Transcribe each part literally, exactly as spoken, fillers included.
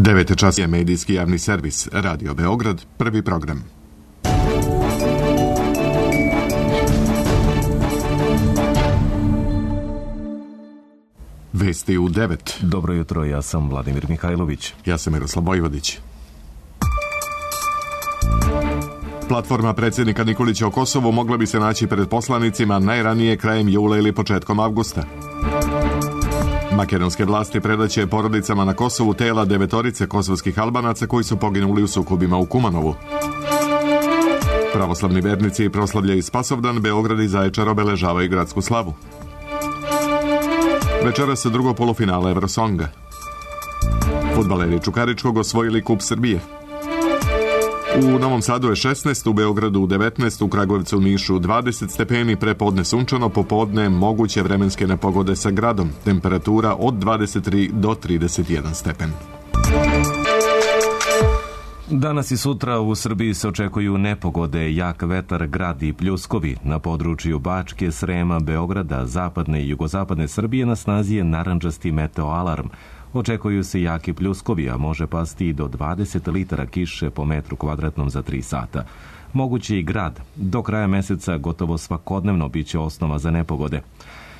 devet čas je medijski javni servis Radio Beograd, prvi program. Vesti u devet. Dobro jutro, ja sam Vladimir Mihajlović. Ja sam Miroslav Vojvodić. Platforma predsjednika Nikolića o Kosovu mogla bi se naći pred poslanicima najranije krajem jula ili početkom avgusta. Makedonske vlasti predaće porodicama na Kosovu tela devetorice kosovskih Albanaca koji su poginuli u sukobima u Kumanovu. Pravoslavni vernici proslavljaju Spasovdan, Beograd i Zaječar obeležavaju gradsku slavu. Večeras drugo polufinale Eurosonga. Fudbaleri Čukaričkog osvojili Kup Srbije. U Novom Sadu je šesnaest, u Beogradu devetnaest, u Kragujevcu u Nišu dvadeset stepeni, prepodne sunčano, popodne moguće vremenske nepogode sa gradom. Temperatura od dvadeset tri do trideset jedan stepen. Danas i sutra u Srbiji se očekuju nepogode, jak vetar, grad i pljuskovi. Na području Bačke, Srema, Beograda, zapadne i jugozapadne Srbije na snazi je narandžasti meteoalarm. Očekuju se jaki pljuskovi, a može pasti i do dvadeset litara kiše po metru kvadratnom za tri sata. Moguće i grad. Do kraja meseca gotovo svakodnevno biće osnova za nepogode.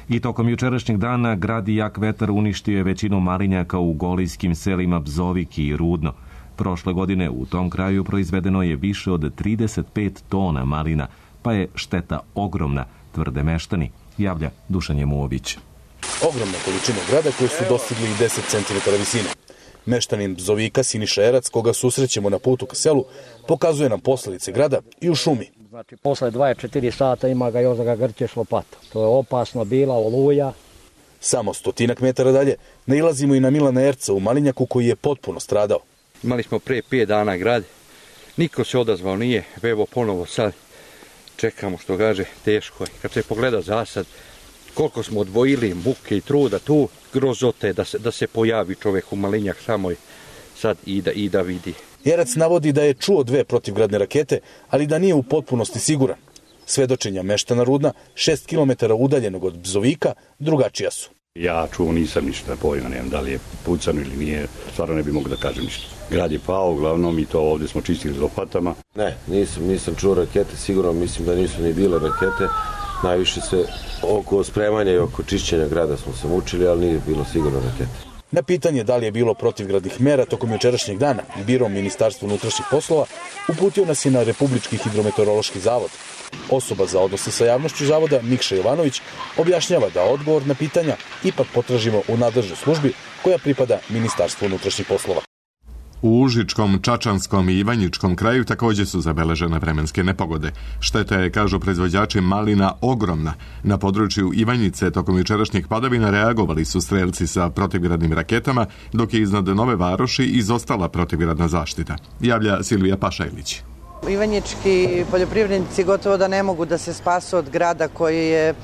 I tokom jučerašnjeg dana grad i jak vetar uništio je većinu malinjaka u golijskim selima Bzoviki i Rudno. Prošle godine u tom kraju proizvedeno je više od trideset pet tona malina, pa je šteta ogromna, tvrde meštani, javlja Dušan Jemuović. Ogromne količine grada koje su dostigli i deset centimetara visine. Meštanin Bzovika Siniša Erac, koga susrećemo na putu ka selu, pokazuje nam posljedice grada i u šumi. Znači, posle dvadeset četiri sata ima ga još da ga grćeš lopata. To je opasno bila, oluja. Samo stotinak metara dalje nailazimo i na Milana Erca u Malinjaku koji je potpuno stradao. Imali smo pre pet dana grad, niko se odazvao nije, evo ponovo sad čekamo, što kaže, teško je. Kad se pogleda zasad, koliko smo odvojili muke i truda tu, grozote da se, da se pojavi čovjek u Malinjak samo sad i da, i da vidi. Erac navodi da je čuo dve protivgradne rakete, ali da nije u potpunosti siguran. Svedočenja meštana Rudna, šest kilometara udaljenog od Bzovika, drugačija su. Ja čuo nisam ništa pojma, nemam da li je pucano ili nije, stvarno ne bi mogu da kažem ništa. Grad je pao, uglavnom i to ovdje smo čistili lopatama. Ne, nisam, nisam čuo rakete, sigurno mislim da nisu ni bile rakete. Najviše se oko spremanja i oko čišćenja grada smo se mučili, ali nije bilo sigurno rakete. Na pitanje da li je bilo protivgradnih mera tokom jučerašnjeg dana, biro Ministarstva unutrašnjih poslova uputio nas je na Republički hidrometeorološki zavod. Osoba za odnose sa javnošću zavoda, Mikša Jovanović, objašnjava da odgovor na pitanja ipak potražimo u nadležnoj službi koja pripada Ministarstvu unutrašnjih poslova. U Užičkom, Čačanskom i Ivanjičkom kraju također su zabeležene vremenske nepogode. Šteta je, kažu proizvođači malina, ogromna. Na području Ivanjice tokom jučerašnjih padavina reagovali su strelci sa protivgradnim raketama, dok je iznad Nove Varoši izostala protivgradna zaštita. Javlja Silvija Pašajlić. Ivanjički poljoprivrednici gotovo da ne mogu da se spasu od grada koji je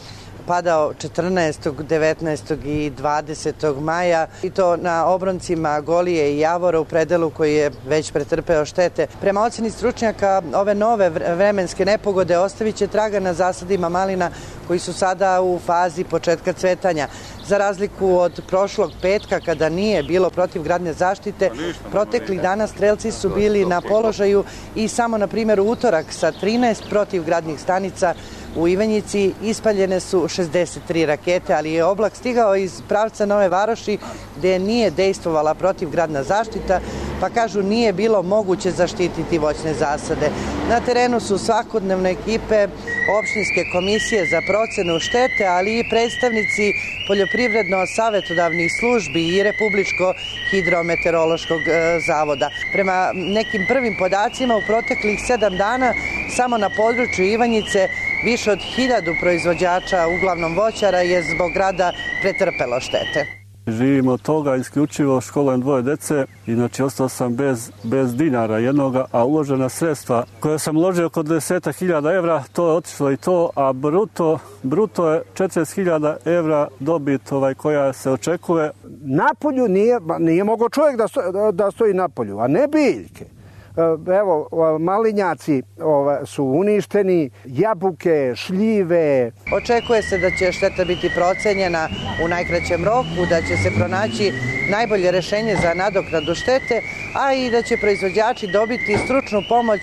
padao četrnaestog, devetnaestog i dvadesetog maja i to na obroncima Golije i Javora u predelu koji je već pretrpeo štete. Prema oceni stručnjaka, ove nove vremenske nepogode ostavit će traga na zasadima malina koji su sada u fazi početka cvetanja. Za razliku od prošlog petka kada nije bilo protivgradne zaštite, proteklih dana strelci su bili na položaju i samo na primjer u utorak sa trinaest protivgradnih stanica u Ivanjici ispaljene su šezdeset tri rakete, ali je oblak stigao iz pravca Nove Varoši gdje nije dejstvovala protivgradna zaštita, pa kažu nije bilo moguće zaštititi voćne zasade. Na terenu su svakodnevne ekipe opštinske komisije za procenu štete, ali i predstavnici poljoprivredno-savetodavnih službi i Republičko hidrometeorološkog zavoda. Prema nekim prvim podacima u proteklih sedam dana samo na području Ivanjice više od hiljadu proizvođača, uglavnom voćara, je zbog grada pretrpelo štete. Živimo od toga, isključivo školujem dvoje dece, inače ostao sam bez, bez dinara jednoga, a uložena sredstva koje sam uložio oko deset hiljada evra, to je otišlo i to, a bruto, bruto je četrdeset hiljada evra dobit ovaj, koja se očekuje. Napolju nije, nije mogao čovjek da, sto, da stoji napolju, a ne biljke. Evo, malinjaci su uništeni, jabuke, šljive. Očekuje se da će šteta biti procenjena u najkraćem roku, da će se pronaći najbolje rešenje za nadoknadu štete, a i da će proizvođači dobiti stručnu pomoć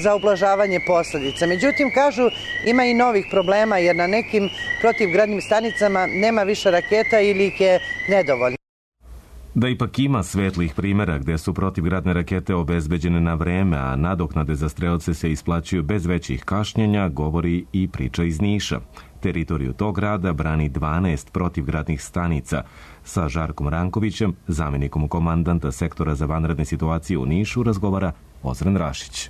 za ublažavanje posledica. Međutim, kažu, ima i novih problema jer na nekim protivgradnim stanicama nema više raketa ili ih je nedovoljno. Da ipak ima svetlih primjera gde su protivgradne rakete obezbeđene na vreme, a nadoknade za strelce se isplaćuju bez većih kašnjenja, govori i priča iz Niša. Teritoriju tog grada brani dvanaest protivgradnih stanica. Sa Žarkom Rankovićem, zamjenikom komandanta sektora za vanredne situacije u Nišu, razgovara Ozren Rašić.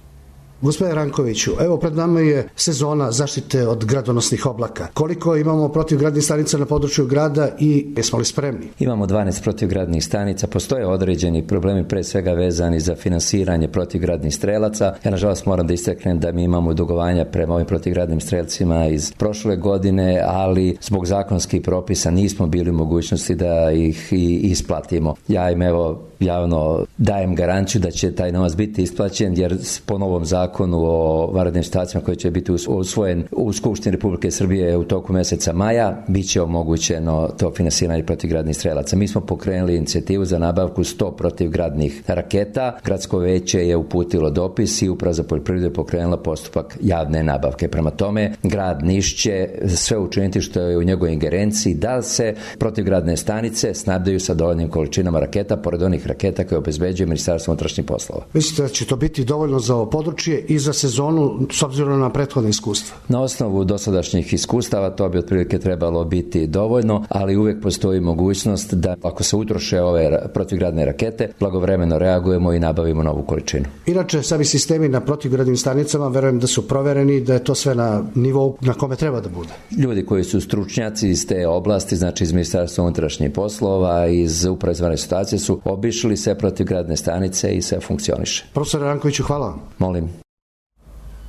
Gospodine Rankoviću, evo pred nama je sezona zaštite od gradonosnih oblaka. Koliko imamo protivgradnih stanica na području grada i jesmo li spremni? Imamo dvanaest protivgradnih stanica, postoje određeni problemi pre svega vezani za finansiranje protivgradnih strelaca. Ja nažalost moram da istaknem da mi imamo dugovanja prema ovim protivgradnim strelcima iz prošle godine, ali zbog zakonskih propisa nismo bili u mogućnosti da ih i isplatimo. Ja im evo javno dajem garanciju da će taj novac biti isplaćen, jer po novom zakonu o vanrednim situacijama koji će biti usvojen u Skupštini Republike Srbije u toku meseca maja, bit će omogućeno to finansiranje protivgradnih strelaca. Mi smo pokrenuli inicijativu za nabavku sto protivgradnih raketa. Gradsko veće je uputilo dopis i Uprava za poljoprivredu je pokrenula postupak javne nabavke. Prema tome, grad Niš će sve učiniti što je u njegovoj ingerenciji da se protivgradne stanice snabdaju sa dovoljnim količinama raketa, pored onih raketa koje obezbeđuje Ministarstvo unutrašnjih poslova. Mislite da će to biti dovoljno za ovo područje i za sezonu s obzirom na prethodne iskustva? Na osnovu dosadašnjih iskustava to bi otprilike trebalo biti dovoljno, ali uvijek postoji mogućnost da ako se utroše ove protivgradne rakete, blagovremeno reagujemo i nabavimo novu količinu. Inače, sami sistemi na protivgradnim stanicama verujem da su provereni, da je to sve na nivou na kome treba da bude. Ljudi koji su stručnjaci iz te oblasti, znači iz Ministarstva unutrašnjih poslova, iz Uprave za vanredne situacije su obišli sve protivgradne stanice i sve funkcioniše. Profesor Rankoviću, hvala vam. Molim.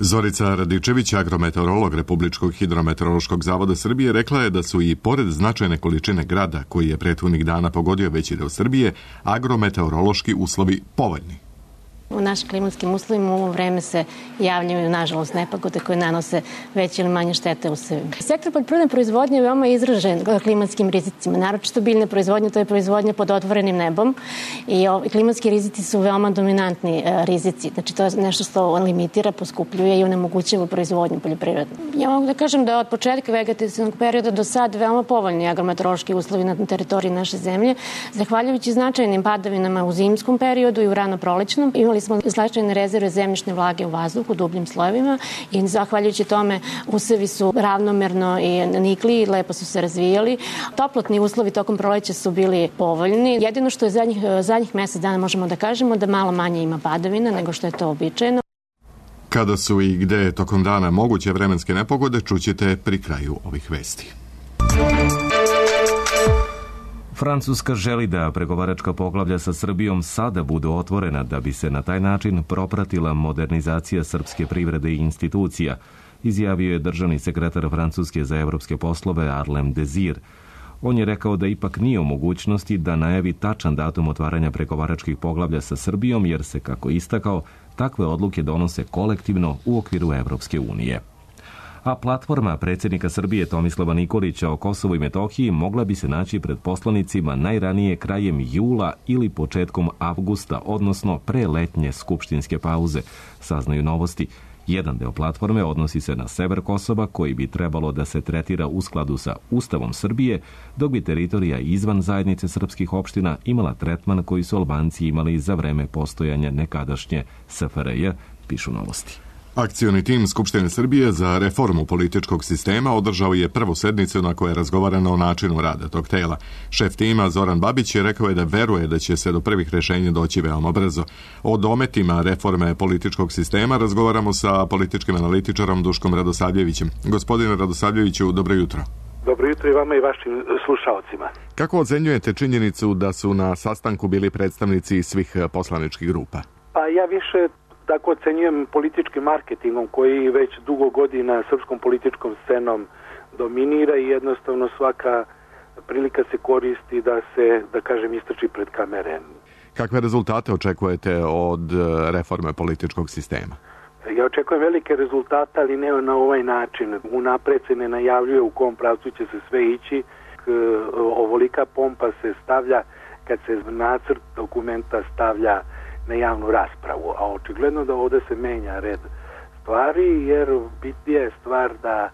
Zorica Radičević, agrometeorolog Republičkog hidrometeorološkog zavoda Srbije, rekla je da su i pored značajne količine grada, koji je prethodnih dana pogodio veći deo Srbije, agrometeorološki uslovi povoljni. U našim klimatskim uslovima u ovo vreme se javljaju, nažalost, nepogode koje nanose veće ili manje štete u sebi. Sektor poljoprivredne proizvodnje je veoma izražen klimatskim rizicima. Naročito biljne proizvodnje, to je proizvodnja pod otvorenim nebom i klimatski rizici su veoma dominantni rizici. Znači, to je nešto što limitira, poskupljuje i onemogućava proizvodnju poljoprivredne. Ja mogu da kažem da od početka vegetativnog perioda do sad veoma povoljni agrometeorološki uslovi na teritoriji naše zemlje, zahvaljujući značajnim padavinama u zimskom periodu i u ranoprolećnom. Imali smo značajne rezerve zemljišne vlage u vazduhu, u dubljim slojevima i zahvaljujući tome usevi su ravnomerno i nikli i lepo su se razvijali. Toplotni uslovi tokom proleća su bili povoljni. Jedino što je zadnjih, zadnjih mesec dana možemo da kažemo da malo manje ima padavina nego što je to običajno. Kada su i gde je tokom dana moguće vremenske nepogode, čućete pri kraju ovih vesti. Francuska želi da pregovaračka poglavlja sa Srbijom sada budu otvorena da bi se na taj način propratila modernizacija srpske privrede i institucija, izjavio je državni sekretar Francuske za evropske poslove Arlem Désir. On je rekao da ipak nije u mogućnosti da najavi tačan datum otvaranja pregovaračkih poglavlja sa Srbijom, jer se, kako istakao, takve odluke donose kolektivno u okviru Evropske unije. A platforma predsjednika Srbije Tomislava Nikolića o Kosovu i Metohiji mogla bi se naći pred poslanicima najranije krajem jula ili početkom avgusta, odnosno pre letnje skupštinske pauze, saznaju Novosti. Jedan deo platforme odnosi se na sever Kosova, koji bi trebalo da se tretira u skladu sa Ustavom Srbije, dok bi teritorija izvan zajednice srpskih opština imala tretman koji su Albanci imali za vreme postojanja nekadašnje S F R J, pišu Novosti. Akcioni tim Skupštine Srbije za reformu političkog sistema održao je prvu sednicu na kojoj je razgovarano o načinu rada tog tela. Šef tima Zoran Babić je rekao je da veruje da će se do prvih rešenja doći veoma brzo. O dometima reforme političkog sistema razgovaramo sa političkim analitičarom Duškom Radosavljevićem. Gospodine Radosavljeviću, dobro jutro. Dobro jutro i vama i vašim slušalcima. Kako ocenjujete činjenicu da su na sastanku bili predstavnici svih poslaničkih grupa? Pa ja više tako ocenjujem političkim marketingom koji već dugo godina srpskom političkom scenom dominira i jednostavno svaka prilika se koristi da se, da kažem, istrči pred kamere. Kakve rezultate očekujete od reforme političkog sistema? Ja očekujem velike rezultate, ali ne na ovaj način. Unapred se ne najavljuje u kom pravcu će se sve ići. Ovolika pompa se stavlja kad se nacrt dokumenta stavlja na javnu raspravu, a očigledno da ovde se menja red stvari, jer bitnija je stvar da,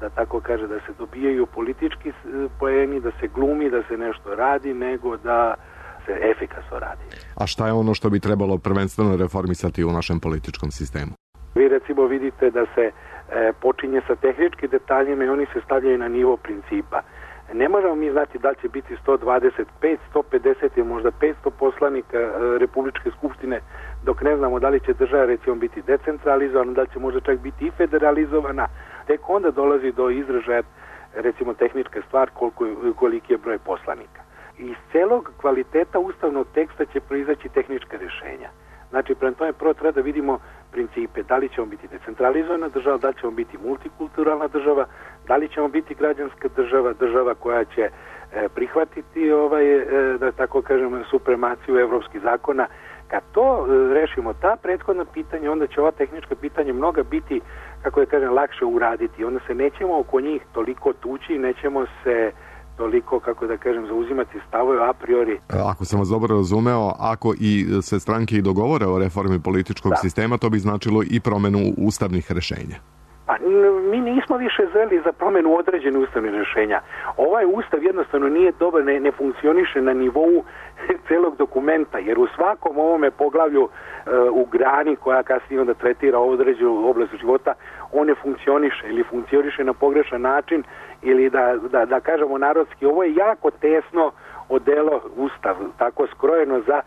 da tako kaže, da se dobijaju politički poeni, da se glumi, da se nešto radi, nego da se efikasno radi. A šta je ono što bi trebalo prvenstveno reformisati u našem političkom sistemu? Vi recimo vidite da se e, počinje sa tehničkim detaljima i oni se stavljaju na nivo principa. Ne možemo mi znati da li će biti sto dvadeset pet, sto pedeset ili možda petsto poslanika e, Republičke skupštine, dok ne znamo da li će država recimo biti decentralizovana, da li će možda čak biti i federalizovana. Tek onda dolazi do izražaja recimo tehnička stvar koliko, koliki je broj poslanika. Iz celog kvaliteta ustavnog teksta će proizaći tehnička rješenja. Znači, prema tome prvo treba da vidimo principe, da li ćemo biti decentralizovana država, da li ćemo biti multikulturalna država, da li ćemo biti građanska država, država koja će e, prihvatiti ovaj, e, da tako kažem, supremaciju evropskih zakona. Kad to e, rešimo, ta prethodna pitanja, onda će ova tehnička pitanja mnoga biti, kako da kažem, lakše uraditi. Onda se nećemo oko njih toliko tući, nećemo se toliko, kako da kažem, zauzimati stavove a priori. Ako sam vas dobro razumeo, ako i se stranke i dogovore o reformi političkog da. sistema, to bi značilo i promenu ustavnih rešenja. Pa mi nismo više zeli za promenu određenih ustavnih rešenja. Ovaj ustav jednostavno nije dobar, ne, ne funkcioniše na nivou celog dokumenta, jer u svakom ovome poglavlju e, u grani koja kasnije onda tretira određenu oblast života, on ne funkcioniše ili funkcioniše na pogrešan način ili da, da, da kažemo narodski, ovo je jako tesno odelo ustav, tako skrojeno za e,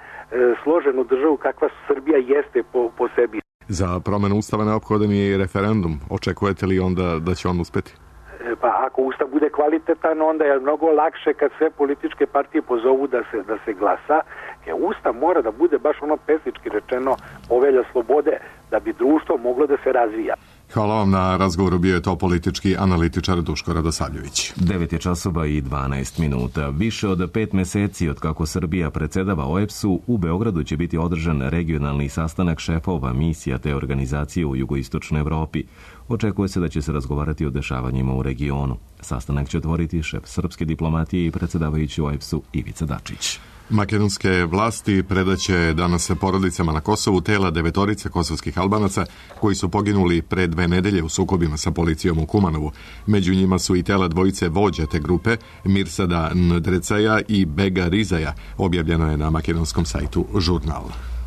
složenu državu kakva Srbija jeste po, po sebi. Za promenu ustava neophodan je i referendum. Očekujete li onda da će on uspeti? E, pa ako ustav bude kvalitetan, onda je mnogo lakše kad sve političke partije pozovu da se, da se glasa. Jer ustav mora da bude baš ono pesnički rečeno povelja slobode, da bi društvo moglo da se razvija. Hvala vam na razgovoru, bio je to politički analitičar Duško Radosavljević. devet je časova i dvanaest minuta. Više od pet meseci od kako Srbija predsedava O E B S-u, u Beogradu će biti održan regionalni sastanak šefova misija te organizacije u jugoistočnoj Evropi. Očekuje se da će se razgovarati o dešavanjima u regionu. Sastanak će otvoriti šef srpske diplomatije i predsedavajući O E B S-u Ivica Dačić. Makedonske vlasti predaće danas porodicama na Kosovu tela devetorice kosovskih Albanaca koji su poginuli pre dve nedelje u sukobima sa policijom u Kumanovu. Među njima su i tela dvojice vođa te grupe, Mirsada Ndrecaja i Bega Rizaja, objavljeno je na makedonskom sajtu Žurnal.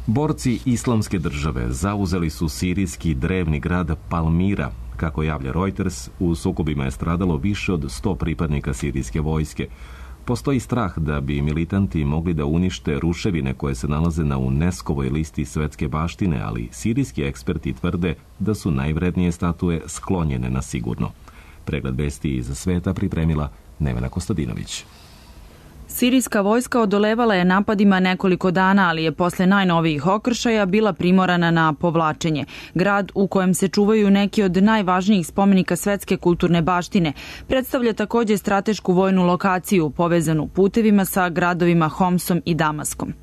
Borci Islamske države zauzeli su sirijski drevni grad Palmira. Kako javlja Reuters, u sukobima je stradalo više od sto pripadnika sirijske vojske. Postoji strah da bi militanti mogli da unište ruševine koje se nalaze na UNESCO-voj listi svetske baštine, ali sirijski eksperti tvrde da su najvrednije statue sklonjene na sigurno. Pregled vesti iz sveta pripremila Nevena Kostadinović. Sirijska vojska odolevala je napadima nekoliko dana, ali je posle najnovijih okršaja bila primorana na povlačenje. Grad u kojem se čuvaju neki od najvažnijih spomenika svetske kulturne baštine predstavlja takođe stratešku vojnu lokaciju povezanu putevima sa gradovima Homsom i Damaskom.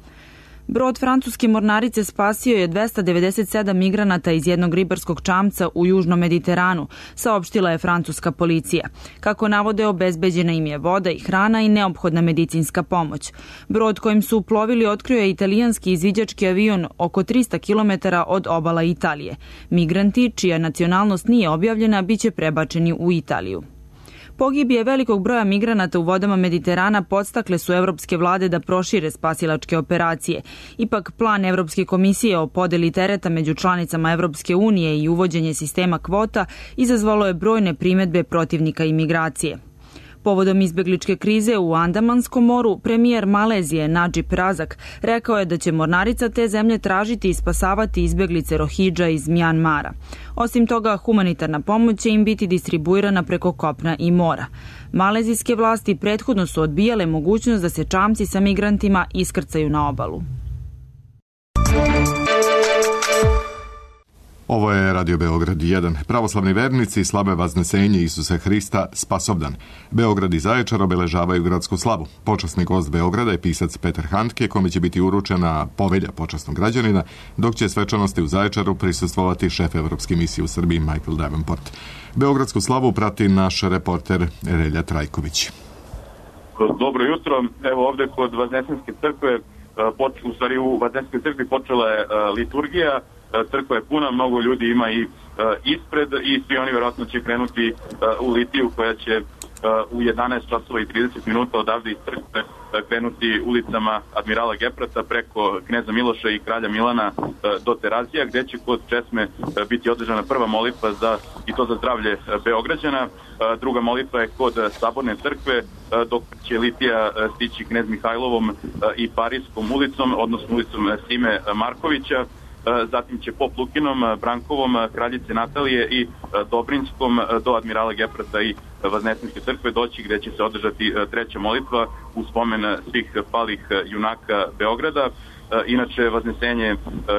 Brod francuske mornarice spasio je dvesta devedeset sedam migranata iz jednog ribarskog čamca u južnom Mediteranu, saopštila je francuska policija. Kako navode, obezbeđena im je voda i hrana i neophodna medicinska pomoć. Brod kojim su plovili otkrio je italijanski izviđački avion oko trista kilometara od obala Italije. Migranti, čija nacionalnost nije objavljena, biće prebačeni u Italiju. Pogibije velikog broja migranata u vodama Mediterana podstakle su evropske vlade da prošire spasilačke operacije. Ipak plan Evropske komisije o podeli tereta među članicama Evropske unije i uvođenje sistema kvota izazvalo je brojne primedbe protivnika imigracije. Povodom izbegličke krize u Andamanskom moru, premijer Malezije Nadžib Razak rekao je da će mornarica te zemlje tražiti i spasavati izbeglice Rohidža iz Mjanmara. Osim toga, humanitarna pomoć će im biti distribuirana preko kopna i mora. Malezijske vlasti prethodno su odbijale mogućnost da se čamci sa migrantima iskrcaju na obalu. Ovo je Radio Beograd jedan. Pravoslavni vernici slave Vaznesenje Isusa Hrista Spasovdan. Beograd i Zaječar obeležavaju gradsku slavu. Počasni gost Beograda je pisac Petar Handke, kome će biti uručena povelja počasnog građanina, dok će svečanosti u Zaječaru prisustvovati šef Evropske misije u Srbiji Michael Davenport. Beogradsku slavu prati naš reporter Relja Trajković. Dobro jutro. Evo ovde kod Vaznesenske crkve, u stvari u Vaznesenskoj crkvi počela je liturgija. Crkva je puna, mnogo ljudi ima i ispred i svi oni vjerojatno će krenuti u litiju koja će u jedanaest časova i trideset minuta odavde iz crkve krenuti ulicama Admirala Geprata preko Kneza Miloša i Kralja Milana do Terazija, gde će kod česme biti održana prva molitva za, i to za zdravlje Beograđana. Druga molitva je kod Saborne crkve, dok će litija stići Knez Mihajlovom i Parijskom ulicom, odnosno ulicom Sime Markovića. Zatim će Pop Lukinom, Brankovom, Kraljice Natalije i Dobrinskom do Admirala Geprata i Vaznesenske crkve doći, gde će se održati treća molitva u spomen svih palih junaka Beograda. Inače, Vaznesenje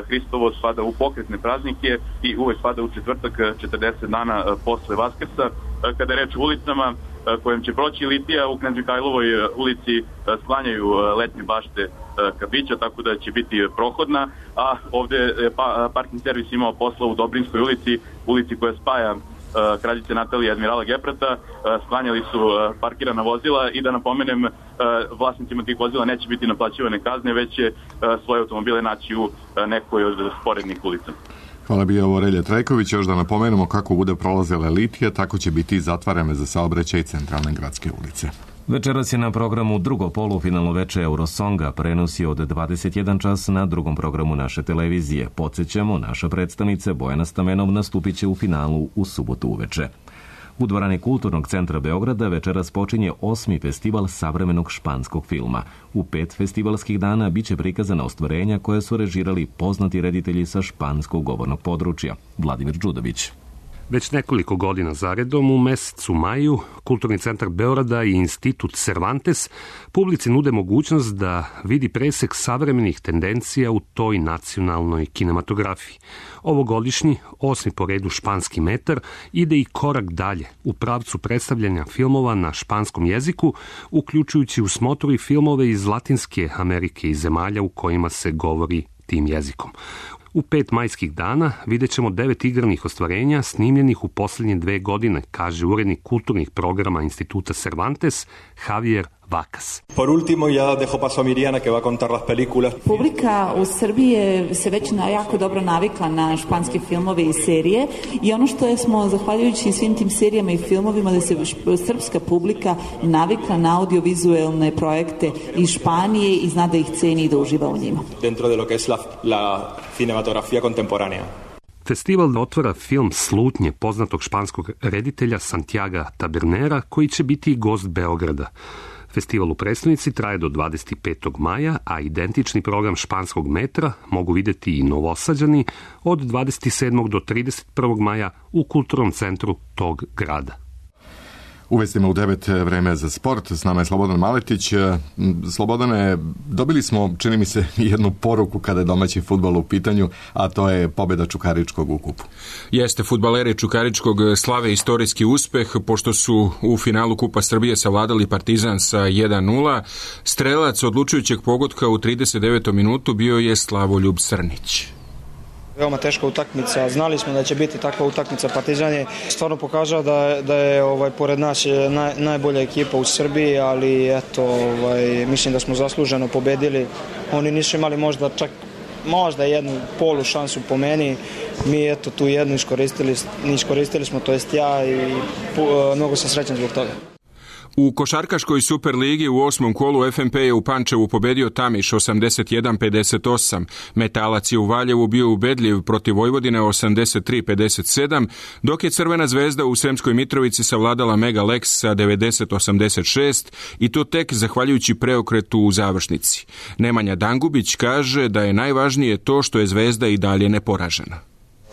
Hristovo spada u pokretne praznike i uvek spada u četvrtak četrdeset dana posle Vaskrsa. Kada je reč o ulicama kojim će proći litija, u Knez Mihajlovoj ulici sklanjaju letnje bašte kafića, tako da će biti prohodna, a ovde je parking servis imao posla u Dobrinskoj ulici, ulici koja spaja Kraljice Natalije i Admirala Geprata. Sklanjali su parkirana vozila i da napomenem, vlasnicima tih vozila neće biti naplaćivane kazne, već će svoje automobile naći u nekoj od sporednih ulica. Hvala bi ovo Relja Trajković. Još da napomenemo kako bude prolazila litija, tako će biti zatvarane za saobraćaj centralne gradske ulice. Večeras je na programu drugo polufinalno veče Eurosonga, prenosi od dvadeset jedan čas na drugom programu naše televizije. Podsjećamo, naša predstavnica Bojana Stamenov nastupit će u finalu u subotu uveče. U dvorani Kulturnog centra Beograda večeras počinje osmi festival savremenog španskog filma. U pet festivalskih dana biće prikazana ostvarenja koje su režirali poznati reditelji sa španskog govornog područja. Vladimir Đudović. Već nekoliko godina zaredom u mesecu maju Kulturni centar Beograda i Institut Cervantes publici nude mogućnost da vidi presek savremenih tendencija u toj nacionalnoj kinematografiji. Ovogodišnji, osmi po redu španski metar, ide i korak dalje u pravcu predstavljanja filmova na španskom jeziku, uključujući u smotru i filmove iz Latinske Amerike i zemalja u kojima se govori tim jezikom. U pet majskih dana vidjet ćemo devet igranih ostvarenja snimljenih u posljednje dve godine, kaže urednik kulturnih programa Instituta Cervantes, Javier Vacas. Por último, ya dejo paso a Miriana que va a contar las películas. Publika u Srbiji je se već na jako dobro navikla na španske filmove i serije i ono što je smo, zahvaljujući svim tim serijama i filmovima, da se srpska publika navikla na audiovizualne projekte iz Španije i zna da ih ceni i da uživa u njima. Dentro de lo que es la, la cinematografía contemporánea. Festival otvara film Slutnje poznatog španskog reditelja Santiaga Tabernera, koji će biti i gost Beograda. Festival u prestonici traje do dvadeset petog maja, a identični program španskog metra mogu vidjeti i Novosađani od dvadeset sedmog do trideset prvog maja u kulturnom centru tog grada. U vestima u devet vreme za sport. S nama je Slobodan Maletić. Slobodane, dobili smo, čini mi se, jednu poruku kada je domaći fudbal u pitanju, a to je pobjeda Čukaričkog u kupu. Jeste, fudbaleri Čukaričkog slave istorijski uspeh, pošto su u finalu Kupa Srbije savladali Partizan sa jedan nula. Strelac odlučujućeg pogotka u trideset devetoj minutu bio je Slavoljub Srnić. Veoma teška utakmica, znali smo da će biti takva utakmica. Partizan je stvarno pokazao da, da je ovaj, pored nas je naj, najbolja ekipa u Srbiji, ali eto, ovaj, mislim da smo zasluženo pobedili. Oni nisu imali možda čak možda jednu polu šansu po meni. Mi eto tu jednu iskoristili, iskoristili smo, to jest ja, i pu, mnogo sam srećan zbog toga. U košarkaškoj Superligi u osmom kolu F M P je u Pančevu pobedio Tamiš osamdeset jedan pedeset osam. Metalac je u Valjevu bio ubedljiv protiv Vojvodine osamdeset tri pedeset sedam, dok je Crvena zvezda u Sremskoj Mitrovici savladala Mega Lex sa devedeset osamdeset šest i to tek zahvaljujući preokretu u završnici. Nemanja Dangubić kaže da je najvažnije to što je Zvezda i dalje neporažena.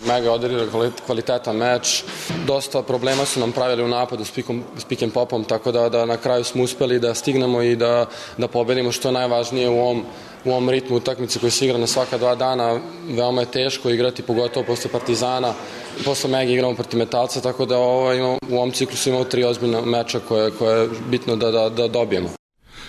Mega odigrali kvalitetan meč, dosta problema su nam pravili u napadu s, pikom, s pick and popom, tako da, da na kraju smo uspeli da stignemo i da, da pobedimo, što je najvažnije u ovom u ovom ritmu utakmice koji se igra na svaka dva dana veoma je teško igrati, pogotovo posle Partizana. Posle Mega igramo protiv Metalca, tako da ovo, imamo, u ovom ciklusu imamo tri ozbiljna meča koje, koje je bitno da, da, da dobijemo.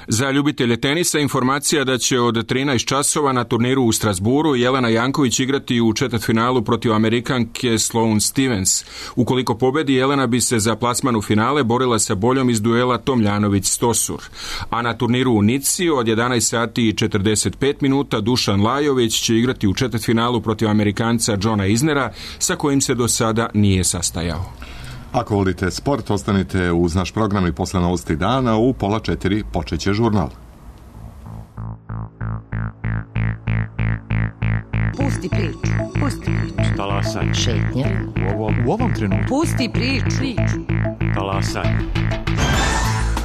Za ljubitelje tenisa informacija da će od trinaest časova na turniru u Strasburu Jelena Janković igrati u četvrtfinalu protiv Amerikanke Sloane Stevens. Ukoliko pobedi, Jelena bi se za plasman u finale borila sa boljom iz duela Tomljanović-Stosur. A na turniru u Nici od jedanaest sati i četrdeset pet minuta Dušan Lajović će igrati u četvrtfinalu protiv Amerikanca Johna Isnera, sa kojim se do sada nije sastajao. Ako volite sport, ostanite uz naš program i posle novosti dana. U pola četiri počeće žurnal. Pusti priču, pusti priču. Talasaj. Šetnja. U ovom, u ovom trenutku. Pusti priču. Talasaj.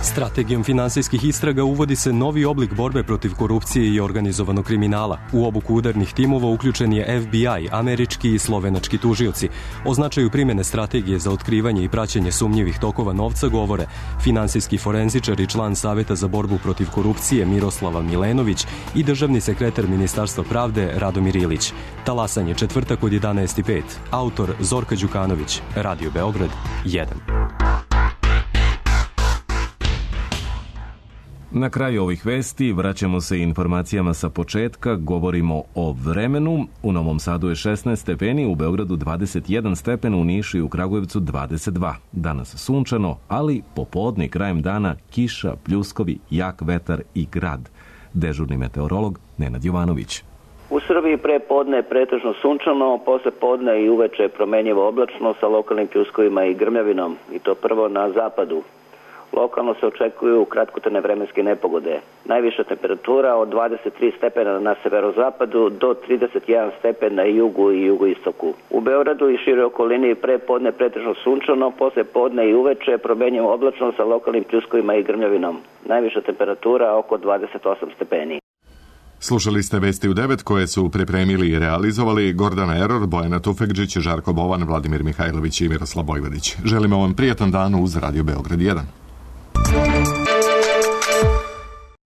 Strategijom finansijskih istraga uvodi se novi oblik borbe protiv korupcije i organizovanog kriminala. U obuku udarnih timova uključen je F B I, američki i slovenački tužioci. O značaju primjene strategije za otkrivanje i praćenje sumnjivih tokova novca govore finansijski forenzičar i član Saveta za borbu protiv korupcije Miroslava Milenović i državni sekretar Ministarstva pravde Radomir Ilić. Talasanje četvrtak od jedanaest i pet. Autor Zorka Đukanović. Radio Beograd jedan. Na kraju ovih vesti vraćamo se informacijama sa početka, govorimo o vremenu. U Novom Sadu je šesnaest stepeni, u Beogradu dvadeset jedan stepen, u Nišu i u Kragujevcu dvadeset dva. Danas sunčano, ali popodne i krajem dana kiša, pljuskovi, jak vetar i grad. Dežurni meteorolog Nenad Jovanović. U Srbiji pre podne je pretežno sunčano, posle podne i uveče promenjivo oblačno sa lokalnim pljuskovima i grmljavinom, i to prvo na zapadu. Lokalno se očekuju kratkotrajne vremenske nepogode. Najviša temperatura od dvadeset tri stepena na severozapadu do trideset jedan stepen na jugu i jugoistoku. U Beogradu i široj okolini pre podne pretežno sunčano, posle podne i uveče promenjivo oblačno sa lokalnim pljuskovima i grmljavinom. Najviša temperatura oko dvadeset osam stepeni. Slušali ste Vesti u devet koje su pripremili i realizovali Gordana Eror, Bojana Tufekđić, Žarko Bovan, Vladimir Mihajlović i Miroslav Bojvodić. Želimo vam prijatan dan uz Radio Beograd jedan.